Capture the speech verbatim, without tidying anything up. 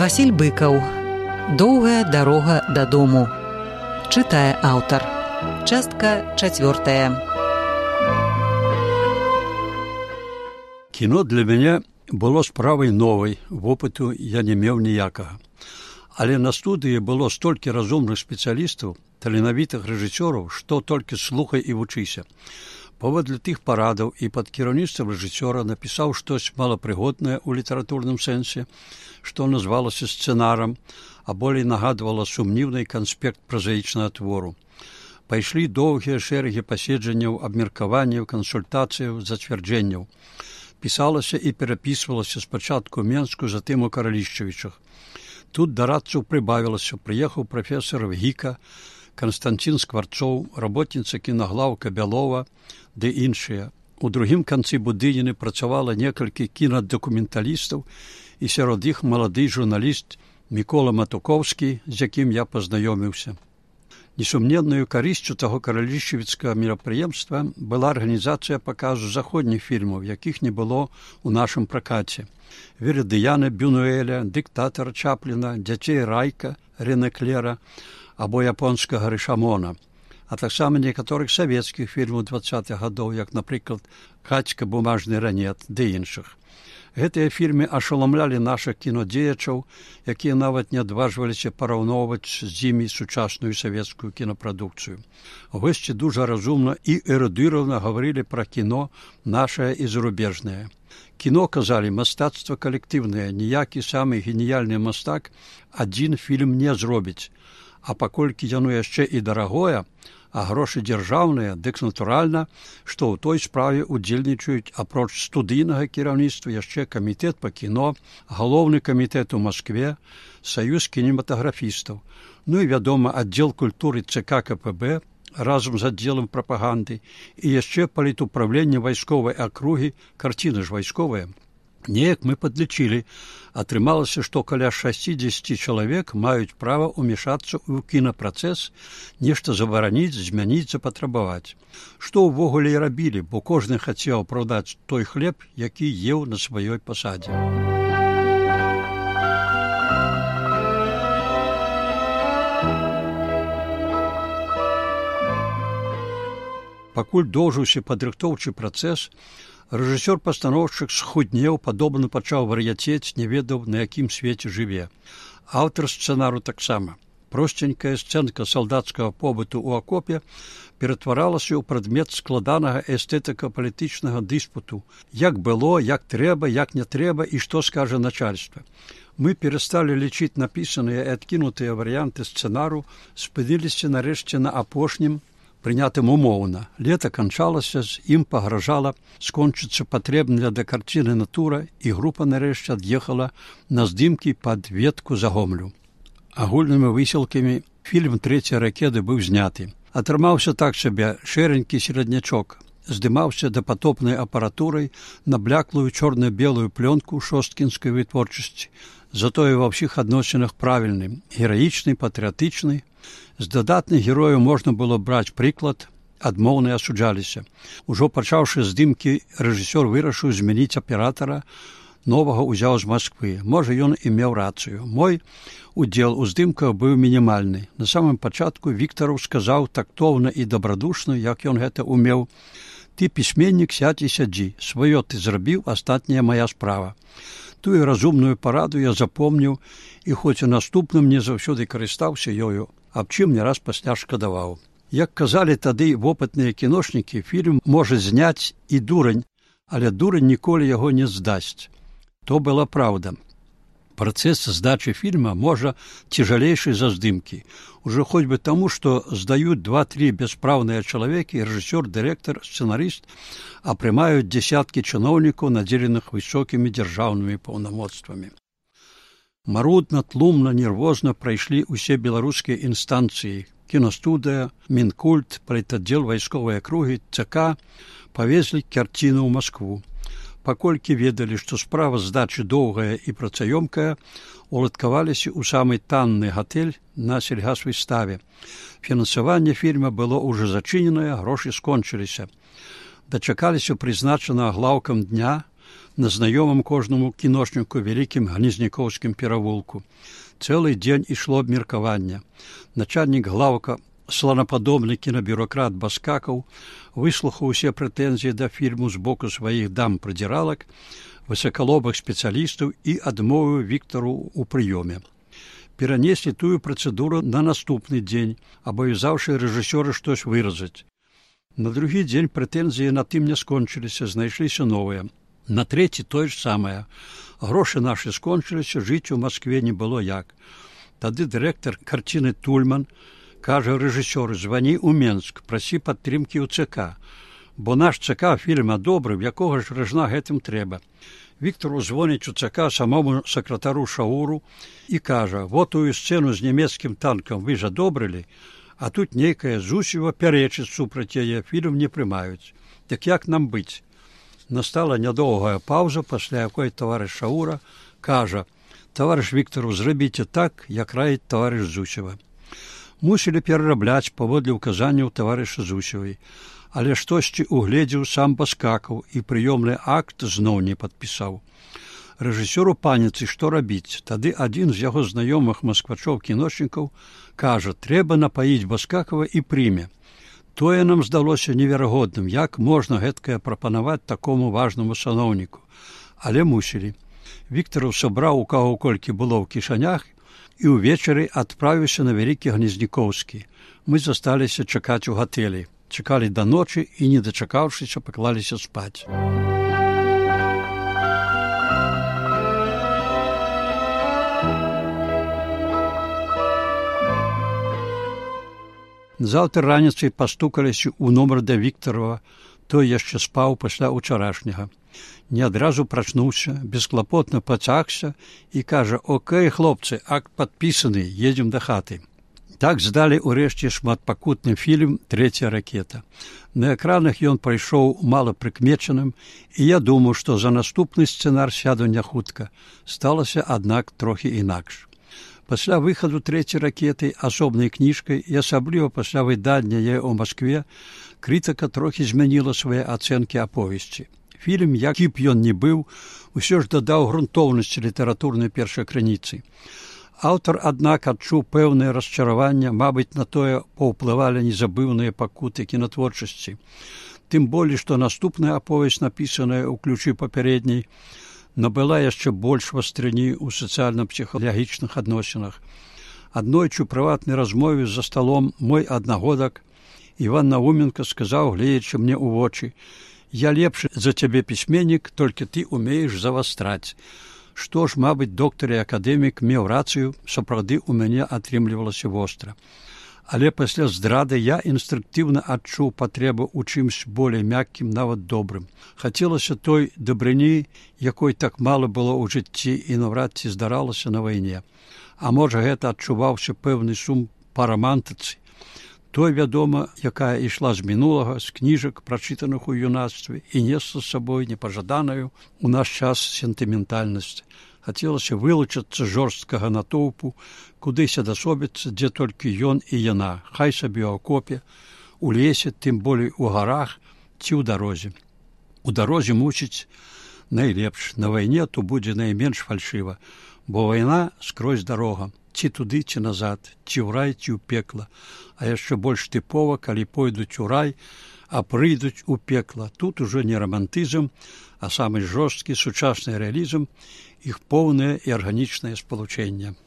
Васіль Быкаў. Доўгая дарога дадому. Чытае аўтар. Частка чацвёртая. Кіно для мяне было справай новай, вопыту я не меў ніякага. Але на студыі было столькі разумных спецыялістаў, таленавітых рэжысёраў, што толькі слухай і вучыся. Паводле тых парадаў і пад кіраўніцтвам рэжысёра напісаў штось малапрыгоднае ў літаратурным сэнсе, што назвалася сцэнарам, а болей нагадвала сумнівны канспект празаічнага твору. Пайшлі доўгія шэрагі паседжанняў, абмеркаванняў, кансультацыяў, зацвярджэнняў. Пісалася і перапісвалася спачатку ў Менску, затым у Каралішчавічах. Тут дарадцаў прыбавілася, прыехаў прафесар Гіка, Канстантин Скварцоў, работніца кінаглаўка Бялова, ды іншыя. У другім канцы будыніны працавала некалькі кінадакументалістаў, і сярод іх малады журналіст Мікола Матукоўскі, з якім я пазнаёміўся. Несумненнаю карысцю таго каралішчавіцкага мерапрыемства была арганізацыя паказу заходніх фільмаў, якіх не было ў нашым пракаце. Вердыяна Бюнуэля, дыктатара Чапліна, дзяцей Райка, Рене Клера або японскага Рышамона, а таксама некаторых савецкіх фільмаў дваццатых гадоў, як, напрыклад, «Кацька, бумажны ранет» ды іншых. Гэтыя фільмы ашаламлялі нашых кінодзеячаў, якія нават не адважваліся параўноўваць з імі сучасную савецкую кінапрадукцыю. Госці дужа разумна і эрудыравана гаварылі пра кіно нашае і зарубежнае. Кіно, казалі, мастацтва калектыўнае, ніякі самы геніяльны мастак адзін фільм не зробіць, а паколькі яно яшчэ і дарагое, а грошы дзяржаўныя, дык натуральна, што ў той справе удзельнічаюць апроч студыйнага кіраўніцтва яшчэ камітэт па кіно, галоўны камітэт у Маскве, саюз кінематаграфістаў, ну і, вядома, аддзел культуры ЦК КПБ разам з аддзелам прапаганды і яшчэ палітуправленне вайсковай акругі, карціна ж вайсковая. Неяк мы падлічылі, атрымалася, што каля шасцідзесяці чалавек маюць права ўмешацца ў кінапрацэс, нешта забараніць, змяніць, запатрабаваць. Што ўвогуле і рабілі, бо кожны хацеў апраўдаць той хлеб, які еў на сваёй пасадзе. Пакуль доўжыўся падрыхтоўчы працэс, рэжысёр-пастаноўшчык схуднеў, падобна пачаў вар'яцець, не ведаў, на якім свеце жыве. Аўтар сцэнару таксама. Просценькая сцэнка салдацкага побыту ў акопе ператваралася ў прадмет складанага эстэтыка-палітычнага дыспуту. Як было, як трэба, як не трэба і што скажа начальства. Мы перасталі лічыць напісаныя і адкінутыя варыянты сцэнару, спыніліся нарэшце на апошнім, прынятым умоўна. Лета канчалася, з ім пагражала скончыцца патрэбная для карціны натура, і група нарэшце ад'ехала на здымкі пад ветку за Гомлю. Агульнымі высілкамі фільм «Трэція ракеты» быў зняты. Атрымаўся так сабе шэранькі сераднячок. Здымаўся дапатопнай апаратурай на бляклую чорна-белую плёнку шосткінскай вытворчасці. Затое ва ўсіх адносінах правільны, гераічны, патрыятычны. З дадатных герояў можна было браць прыклад, адмоўныя асуджаліся. Ужо пачаўшы здымкі, рэжысёр вырашыў змяніць аператара, новага ўзяў з Масквы. Можа, ён і меў рацыю. Мой удзел у здымках быў мінімальны. На самым пачатку Віктараў сказаў тактоўна і дабрадушна, як ён гэта умеў: «Ты, пісьменнік, сядзь і сядзі. Сваё ты зрабіў, астатняя мая справа». Тую разумную параду я запомніў і хоць у наступным не заўсёды карыстаўся ёю, аб чым не раз пасля шкадаваў. Як казалі тады вопытныя кіношнікі, фільм можа зняць і дурань, але дурань ніколі яго не здасць. То была праўда. Працэс здачы фільма можа цяжалейшы за здымкі. Ужо хоць бы таму, што здаюць два-тры бяспраўныя чалавекі, рэжысёр, дырэктар, сцэнарыст, а прымаюць дзесяткі чыноўнікаў, надзеленых высокімі дзяржаўнымі паўнамоцтвамі. Марудна, тлумна, нервозна прайшлі ўсе беларускія інстанцыі. Кінастудыя, Мінкульт, палітаддзел вайсковай акругі, ЦК павезлі карціну ў Маскву. Паколькі ведалі, што справа здачы доўгая і працаёмкая, уладкаваліся ў самы танны гатэль на сельгасвыставе. Фінансаванне фільма было ўжо зачыненае, грошы скончыліся. Дачакаліся прызначанага глаўкам дня, на знаёмым кожнаму кіношніку вялікім Гнезнякоўскім перавулку. Цэлы дзень ішло абмеркаванне. Начальнік глаўка, сланападобны кінабюракрат Баскакаў, выслухаў усе прэтэнзіі да фільму з боку сваіх дам-прыдзіралак, высакалобых спецыялістаў і адмовіў Віктару ў прыёме. Перанеслі тую працэдуру на наступны дзень, абавязаўшы рэжысёра штось выразаць. На другі дзень прэтэнзіі на тым не скончыліся, знайшліся новыя. На трэці тое ж самае. Грошы нашы скончыліся, жыць у Маскве не было як. Тады дырэктар карціны Тульман кажа рэжысёру: звані ў Менск, прасі падтрымкі ў ЦК, бо наш ЦК фільма добры, в якога ж ражна гэтым трэба. Віктару звоніць у ЦК самому сакратару Шауру і кажа: вот тую сцэну з нямецкім танкам вы ж адобрылі, а тут нейкая Зусева пярэчыць супраць яе, фільм не прымаюць. Так як нам быць? Настала нядоўгая паўза, пасля якой таварыш Шаура кажа: таварыш Віктару, зрабіце так, як раіць таварыш Зусева. Мусілі перарабляць паводле ўказанняў таварыша Зусевай, але штосьці угледзеў сам Баскакаў і прыёмны акт зноў не падпісаў. Рэжысёру паніцы, што рабіць? Тады адзін з яго знаёмых масквачоў-кіношнікаў кажа: трэба напаіць Баскакава і прыме. Тое нам здалося неверагодным, як можна гэткае прапанаваць такому важнаму саноўніку. Але мусілі. Віктараў сабраў у каго колькі было ў кішанях і ўвечары адправіўся на вялікі Гнезнякоўскі. Мы засталіся чакаць у гатэлі. Чакалі да ночы і, не дачакаўшыся, паклаліся спаць. Заўтра раніцай пастукаліся ў нумар да Віктарова. Той яшчэ спаў пасля ўчарашняга. Не адразу прачнуўся, бесклапотна пацягся і кажа: окей, хлопцы, акт падпісаны, едзем да хаты. Так здалі ўрэшце шматпакутны фільм «Трэцяя ракета». На экранах ён прайшоў малапрыкмечаным, і я думаю, што за наступны сцэнар сяду не хутка. Сталася, аднак, трохі інакш. Пасля выхаду «Трэцяй ракеты» асобнай кніжкай і асабліва пасля выдання яе ў Маскве, крытыка трохі змяніла свае ацэнкі аповесці. Фільм, які б ён не быў, усё ж дадаў грунтоўнасці літаратурнай першай крыніцы. Аўтар, аднак, адчуў пэўнае расчараванне, мабыць, на тое паўплывалі незабыўныя пакуты кінатворчасці. Тым болей, што наступная аповесць, напісаная ў ключы папярэдняй, набыла яшчэ больш вастрыні ў сацыяльна-псіхалагічных адносінах. Аднойчы ў прыватнай размове за сталом мой аднагодак Іван Науменка сказаў, гледзячы мне ў вочы: «Я лепшы за цябе пісьменнік, толькі ты умееш завастраць». Што ж, мабыць, доктар і акадэмік меў рацыю, сапраўды ў мяне атрымлівалася востра. Але пасля здрады я інстынктыўна адчуў патрэбу ў чымсь болей мяккім, нават добрым. Хацелася той дабрыні, якой так мала было ў жыцці і наўрад ці здаралася на вайне. А можа, гэта адчуваўся пэўны сум па рамантыцы. Той, вядома, якая ішла з мінулага, з кніжак, прачытаных у юнацтве, і несла з сабой непажаданую у наш час сентыментальнасць. Хацелася вылучыцца жорсткага натоўпу, кудысь адасобіцца, дзе толькі ён і яна, хай сабе ў акопе, у лесе, тым болей у гарах ці ў дарозе. У дарозе, мусіць, найлепш, на вайне то будзе найменш фальшыва, бо вайна скрозь дарога. Ці туды, ці назад, ці ў рай, ці ў пекла. А яшчэ больш тыпова, калі пойдуць у рай, а прыйдуць у пекла. Тут ужо не рамантызм, а самы жорсткі сучасны рэалізм, іх поўнае і арганічнае спалучэнне.